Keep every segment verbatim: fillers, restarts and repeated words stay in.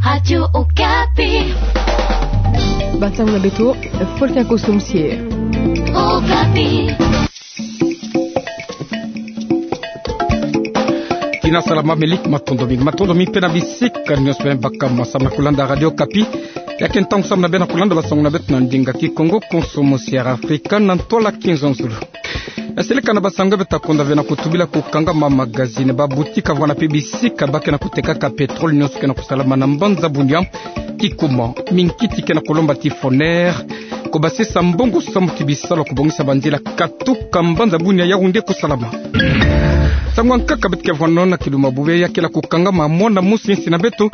Radio Okapi. Bansango na beto, Volcan Kosomsie. Okapi. Tina salama, Melik, matondo mingi. Matondo mingi mpe na bisika nyonso beno baka mo samu na kulanda Radio Okapi. Ya ke ntangu samu na beno kulanda bansango na beto na ndinga Kikongo, konso mosi ya Afrika na ntwala kinzonzolo. Na seleka na bansango beto ta konda ve na kutubila kukangama magazini, baboutique, vwanda mpe bisika ba ke na kutekaka pétrole, nyonso ke na kusalama na mbanza Bunia. Kikuma, minkiti ke na kulomba ti Foner kubasisa mbongo samu ti bisalu ya kubongisa banzila katuka mbanza Bunia, Yaoundé, kusalama. Nsangu ya nkaka beto ke vwanda na kilumbu ya bubu ya kele kukangama mwana mosi ya insi na beto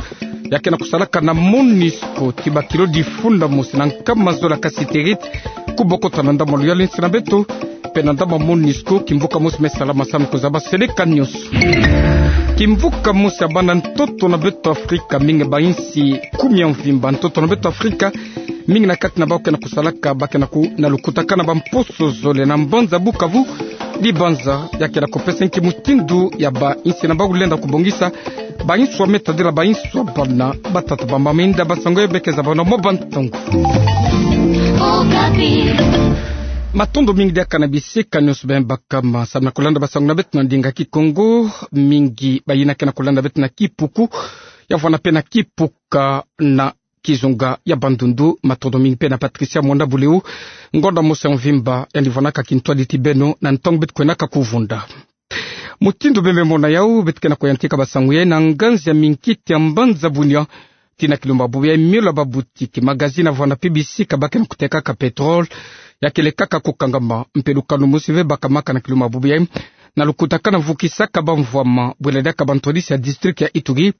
ya ke na kusalaka na MONUSCO ti bakilo difunda mosi na nkama zole ya kasiterite kubokota na ndambu ya luyalu ya insi na beto, mpe na ndambu ya MONUSCO, kimvuka mosi me salama samu kuzaba seleka nyonso. Kimvuka mosi ya bana ntoto na beto Afrika mingi, ba insi kumi ya mvimba ntoto na beto Afrika, mingi na kati na bau ke na kusalaka, ba ke na ku-, na lukutakanu ya bamposo zole na mbanza Bukavu, dibanza ya ke na kupesa nki mutindu ya ba insi na bau lenda kubongisa ba inswa me tadila ba inswa bana, batata, bamama. Inda bansango ya beke za bana mo bantongo. Matondo mingi diaka na bisika nyonso beno baka mo samu na kulanda bansango na beto na ndinga Kikongo. Mingi bayina ke na kulanda beto na Kipuku, ya vwanda mpe na Kipuka na kizunga ya Bandundu. Matondo mingi mpe na Patricia Mwanda Buleu, ngonda mosi ya mvimba, yandi vwandaka kintwadi ti beno na ntangu beto kwendaka kuvunda. Mutindu beno me mona yau, beto ke na kuyantika bansangu ya na nganzi ya minkiti ya mbanza Bunia tii na kilumbu ya bubu ya, mio la baboutique, magazini, vwanda mpe bisika ba ke na kutekaka pétrole, ya kele kaka kukangama. Mpe lukanu mosi ve bakamaka na kilumbu ya bubu ya na lukutakanu ya vukisaka bamvwama, bwela diaka bantwadisi ya district ya Ituri,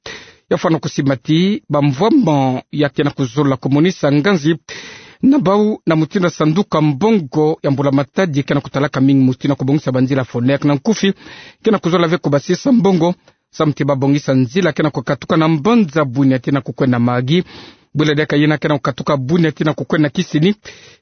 ya fwana kusimba ti bamvwama ya ke na kuzola kumonisa nganzi na bau na mutindu ya sanduku ya mbongo ya mbula-matadi ke na kutalaka mingi mosi tii na kubongisa banzila Foner na nkufi, ke na kuzola ve kubasisa mbongo samu ti babongisa nzila ke na kukatuka na mbanza Bunia tii na kukwenda Mahagi, bwela diaka yina ke na kukatuka Bunia tii na kukwenda Kisenyi.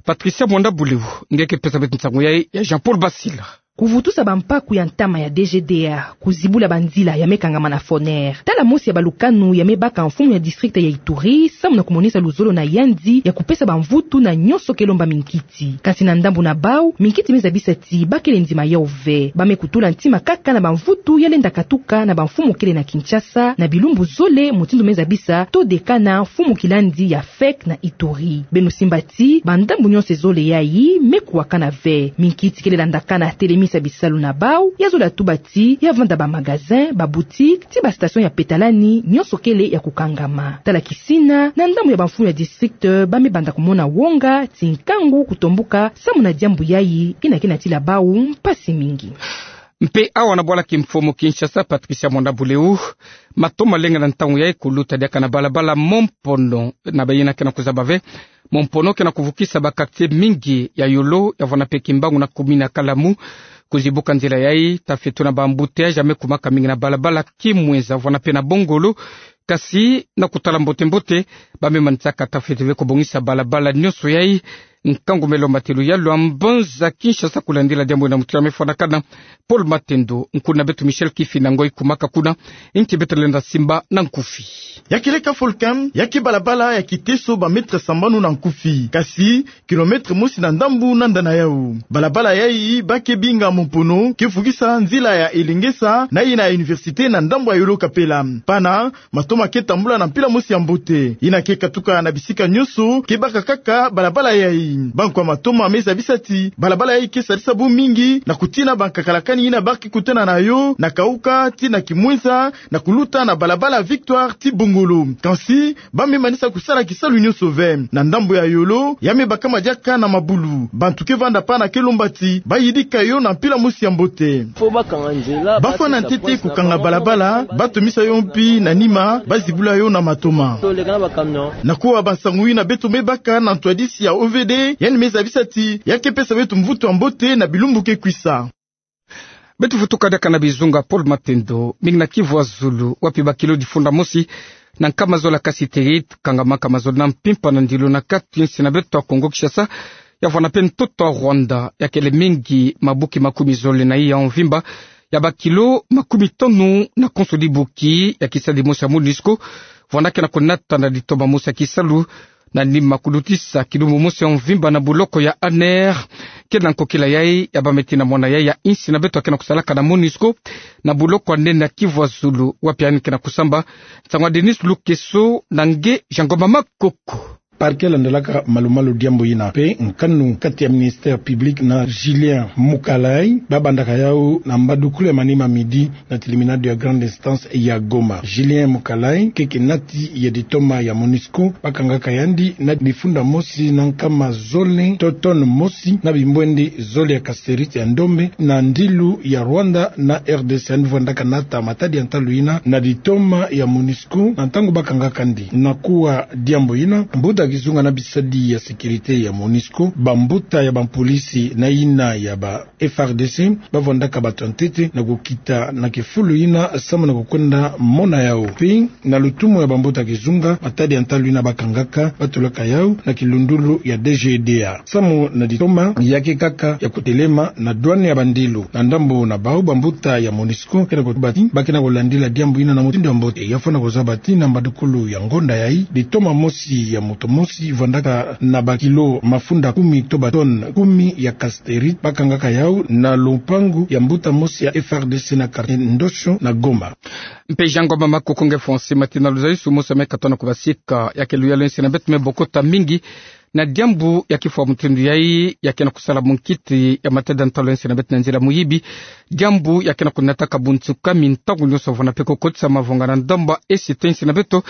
Patricia Mwanda Buleu nge ke pesa beto nsangu ya, ya Jean-Paul Basila. Kuvutusa bampaku ya ntama ya D G D A, kuzibula banzila ya me kangama na Foner. Tala mosi ya balukanu ya me baka mfumu ya district ya Ituri samu na kumonisa luzolo na yandi ya kupesa bamvutu na nyonso ke lomba minkiti. Kasi na ndambu na bau, minkiti me zabisa ti ba kele ndima yau ve. Ba me kutula ntima kaka na bamvutu ya lenda katuka na bamfumu kele na Kinshasa, na bilumbu zole, mutindu me zabisa todekana mfumu kilandi ya fek na Ituri. Beno simba ti bandambu nyonso zole yayi me kuwakana ve. Minkiti kele landakana telemisa bisalu na bau, ya zola tuba ti ya vanda bamagazin, baboutique, tii bastation ya petalani, nyonso kele ya kukangama. Tala Kisina, na ndambu ya bamfumu ya district, ba me banda kumona wonga, tii nkangu kutombuka samu na diambu yayi, yina ke na tila bau mpasi mingi. Mpe awa na bwala kimfumu Kinshasa, Patricia Mwanda Buleu, mato malenga na ntangu yayi kuluta diaka na balabala Mompono, na bayina ke na kuzaba ve, Mompono ke na kuvukisa ba quartier mingi ya Yolo, ya vwanda mpe Kimbangu na commune ya Kalamu. Kuzibuka nzila yayi, tafeto na ba embouteillage ya me kumaka mingi na balabala Kimwenza, vwanda mpe na Bongolo. Kasi na kutala mbote-mbote, ba me manisaka tafeto ve kubongisa balabala nyonso yayi. Nkangu me lomba ti luyalu ya mbanza Kinshasa kulandila diambu yina, mutindu ya me fwanakana, Paul Matendo, nkuna beto Michel Kifinda Ngoi kumaka kuna, nki beto lenda simba na nkufi. Ya kele ka Volcan, ya ke balabala ya kiteso ba mètre sambanu na nkufi. Kasi kilomètre mosi na ndambu na ndana yau. Balabala yayi ba ke binga Mompono ke vukisa nzila ya Elengesa na yina ya université na ndambu ya Yolo Kapela. Pana, mato ma ke tambula na mpila mosi ya mbote. Yina ke katuka na bisika nyonso ke baka kaka balabala yayi. Bankwa mato ma me zabisa ti balabala yayi ke sadisa bau mingi na kutina bankakalakani yina ba ke kutana na yo na Kauka tii na Kimwenza, na kuluta na balabala Victoire tii Bongolo. Kansi, ba me manisa kusala kisalu nyonso ve. Na ndambu ya Yolo, ya me bakama diaka na mabulu. Bantu ke vanda pana ke lomba ti ba yidika yo na mpila mosi ya mbote. Ba fwana ntete kukanga balabala, ba tomisa yo mpi na nima, ba zibula yo na matoma. Na kuwa bansangu yina beto me baka na ntwadisi ya O V D, yandi me zabisa ti ya ke pesa beto mvutu ya mbote na bilumbu ke kwisa. Beto vutuka diaka na bizunga Paul Matendo, mingi na Kivu ya Zulu, wapi ba kilo difunda mosi na nkama zola ya kasiterite kangamaka mazono na mpimpa na ndilo na kati nsi na beto ya Kongo Kinshasa, ya vwanda mpe ntoto ya Rwanda, ya kele mingi mabuki makumi zole na iya ya mvimba, ya ba kilo makumi tanu na konso dibuki ya kisalu dimosi ya MONUSCO, vwanda ke na kunata na ditoma mosi ya kisalu, na nima kulutisa kilumbu mosi ya mvimba na buloko ya Aner, kele na nkokila yai ya bameti na mwana yai ya insi na beto ya ke na kusalaka na MONUSCO, na buloko ya nene ya Kivu ya Zulu, wapi yandi ke na kusamba. Nsangu ya Denis Lukeso na nge Jean Ngoma Makoko. Parquet landalaka malu-malu diambu yina, mpe nkanu kati ya ministère public na Julien Mukalai, babandaka yau na mbadukulu ya manima midi na tribunal de grande instance ya Goma. Julien Mukalai ke kinati ya ditoma ya MONUSCO bakangaka yandi na difunda mosi na nkama zole to tonne mosi na bimbwende zole ya cassiterite ya ndombe na ndilu ya Rwanda na R D C. Yandi vwandaka nata matadi ya ntalu yina na ditoma ya MONUSCO na ntangu bakangaka yandi. Na kuwa diambu yina, mbuta kizunga na bisadi ya sécurité ya MONUSCO, bambuta ya bapolisi na yina ya ba F R D C, bavwandaka bato ya ntete na kukita na kifulu yina samu na kukwenda mona yau. Mpe na lutumu ya bambuta kizunga, matadi ya ntalu yina bakangaka batulaka yau na kilundulu ya D G D A. Samu na ditoma, ya ke kaka ya kutelema na douane ya bandilu. Na ndambu na bau, bambuta ya MONUSCO ke na kutubati ba ke na kulandila diambu yina na mutindu ya mbote. Ya fwana kuzaba ti na mbadukulu ya ngonda yai, ditoma mosi ya moto mosi vwandaka na bakilo mafunda kumi to batonne kumi ya cassiterite bakangaka yau na lupangu ya mbuta mosi ya F R D C na quartier Ndosho na Goma. Mpe Jean Ngoma Makoko nge Fonsi, mati na luzaisu mosi me katona kubasika, ya ke luyalu ya insi na beto me bokota mingi na diambu ya kifwa mutindu yai, ya ke na kusala munkiti ya matadi ya ntalu ya insi na beto na nzila muyibi. Diambu ya ke na kunataka bunsuka mi ntangu nyonso vwanda mpe kukotisa mavonga na ndambu ya esi to insi na beto,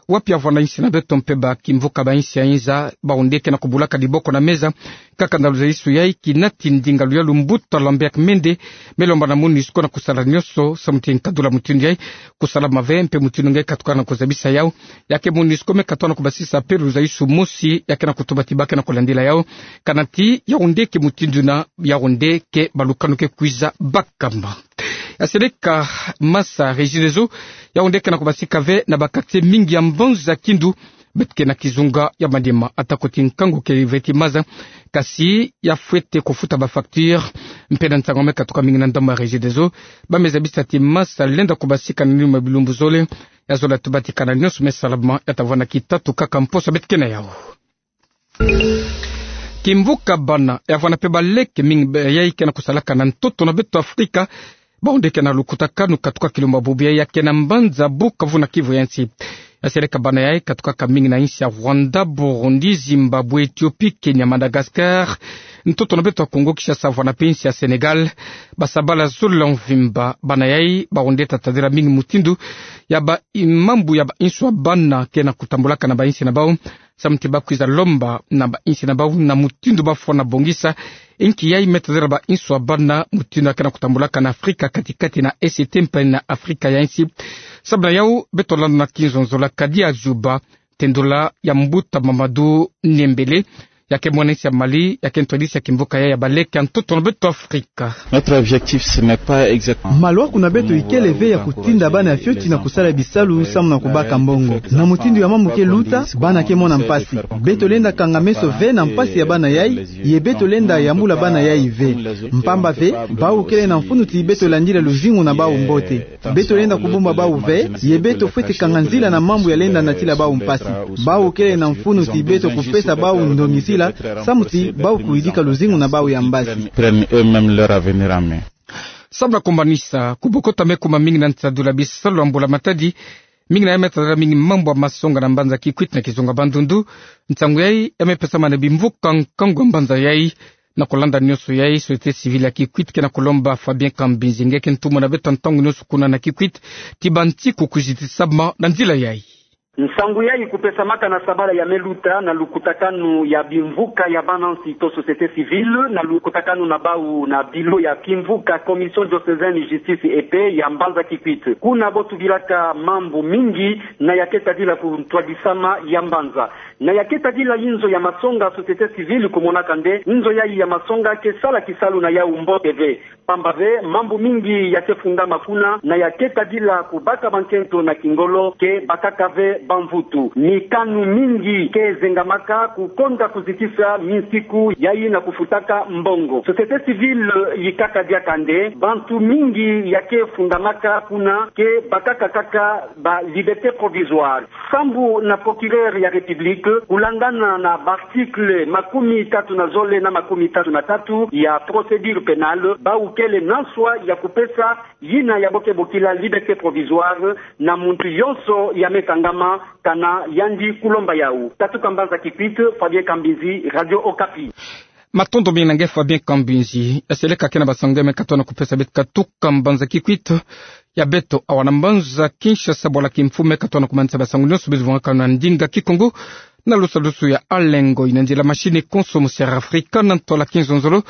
wapi ya vwanda insi na beto mpe bakimvuka ba insi ya inza, bau nde ke na kubulaka diboko na meza. Kaka na luzaisu yai, kinati ndinga luyalu mbuta Lambert Mende me lomba na MONUSCO na kusala nyonso samu ti nkadula mutindu yai kusalama ve, mpe mutindu nge katuka na kuzabisa yau. Ya ke MONUSCO me katoa na kubasisa mpe luzaisu mosi, ya ke na kutuba ti ba ke na kulandila yau, kana ti yau nde ke mutindu na yau nde ke balukanu ke kwiza bakamba. Ya seleka masa Regideso, yau nde ke na kubasika ve na ba quartier mingi ya mbanza Kindu, beto ke na kizunga ya manima. Atako ti nkangu ke ve ti maza, kasi ya fwete kufuta ba facture. Mpe na nsangu me katuka mingi na ndambu ya Regideso, ba me zabisa ti masa lenda kubasika na nima bilumbu zole. Ya zola tuba ti kana nyonso me salama, ya ta vwanda kitatu kaka mposa beto ke na yau. Kimvuka bana, ya vwanda mpe baleke mingi yai ke na kusalaka na ntoto na beto Afrika, bau nde ke na lukutakanu katuka kilumbu ya bubu yai, ya ke na mbanza Bukavu na Kivu ya nsi. Ya seleka bana yai katukaka mingi na insi ya Rwanda, Burundi, Zimbabwe, Ethiopie, Kenya, Madagascar, ntoto na beto ya Congo Kinshasa, vwanda mpe insi ya Sénégal. Basabala zole ya mvimba, bana yai bau nde ta tadila mingi mutindu ya ba i-, mambu ya ba insu ya bana ke na kutambulaka na ba insi na bau, samu ti ba kwiza lomba na ba insi na bau na mutindu ba fwana bongisa. Inki yai me tadila ba insu ya bana mutindu ya ke na kutambulaka na Afrika kati-kati na E C T mpe na Afrika ya nsi. Samu na yau, beto landa na kinzonzo la Kadi Azuba, tendula ya mbuta Mamadou Nembele, ya ke mwana insi ya Mali, ya ke ntwadisi ya kimvuka yai ya baleke ya ntoto na beto Afrika. Notre objectif, ce n'est pas exactement... Maluaku na beto ikele ve ya kutinda bana ya fioti na kusala bisalu samu na kubaka mbongo. Na mutindu ya mambu ke luta, bana ke mona mpasi. Beto lenda kanga meso ve na mpasi ya bana yai, ye beto lenda yambula bana yai ve. Mpamba ve, bau kele na mfunu ti beto landila luzingu na bau mbote. Beto lenda kubumba bau ve, ye beto fwete kanga nzila na mambu ya lenda natila bau mpasi. Bau kele na mfunu ti beto kupesa bau ndongisila, samu ti bau kuyidika luzingu na bau ya mbasi. Prennent eux-mêmes leur avenir en main. Samu na kumanisa, kubokota me kuma mingi na nsadula bisalu ya mbula-matadi, mingi na yai me tadila mingi mambu ya masonga na mbanza Kikwit na kizunga Bandundu. Nsangu yai ya me pesama na bimvuka nkangu ya mbanza yai. Na kulanda nyonso yai, société civile ya Kikwit ke na kulomba Fabien Kambinzi nge ke ntumwa na beto ya ntangu nyonso kuna na Kikwit, ti banti kukuzitisama na nzila yai. Nsangu yai kupesamaka na sabala ya me luta na lukutakanu ya bimvuka ya bana nsi to société civile, na lukutakanu na bau na bilo ya kimvuka Commission diocésaine justice et paix ya mbanza Kikwit. Kuna bo tubilaka mambu mingi na ya ke tadila kuntwadisama ya mbanza. Na ya ke tadila inzo ya masonga, société civile kumonaka nde inzo yai ya masonga ke sala kisalu na yau mbote ve. Pamba ve, mambu mingi ya ke fundama kuna, na ya ke tadila kubaka bankento na kingolo ke bakaka ve. bamvutu. Mikanu mingi ke zengamaka kukonda kuzitisa minsiku yayi na kufutaka mbongo. Société civile yikaka diaka nde bantu mingi ya ke fundamaka kuna ke bakaka kaka ba liberté provisoire. Sambu na procureur ya République, kulandana na ba article makumi tatu na zole na makumi tatu na tatu ya procédure pénale, bau kele na nswa ya kupesa yina ya bo ke bokila liberté provisoire na muntu yonso ya me kangama kana yandi kulomba yau. Katuka mbanza Kikwit, Fabien Kambinzi, Radio Okapi. Matondo mingi na nge Fabien Kambinzi. Seleka kena ba sango me katuka na kupesa beto, katuka mbanza Kikwit ya beto awa na mbanza Kinshasa, bwala kimfumu, me katuka na kumanisa ba sango yonso bizi vwangaka na ndinga Kikongo na lusalusu ya Alengo, ina nzila machine konso mu Sierra Africa na ntola kinzonzolo.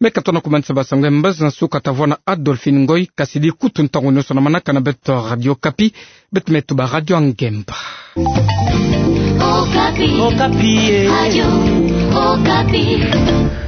Me katuka na kumanisa ba sango ya mbazi na nsuka, tavwanda Adolphine Ngoy, kasi di kutu ntangu yonso na manaka na beto Radio Okapi, beto me tuba Radio Angemba. Okapi. Okapi, eh. Radio Okapi.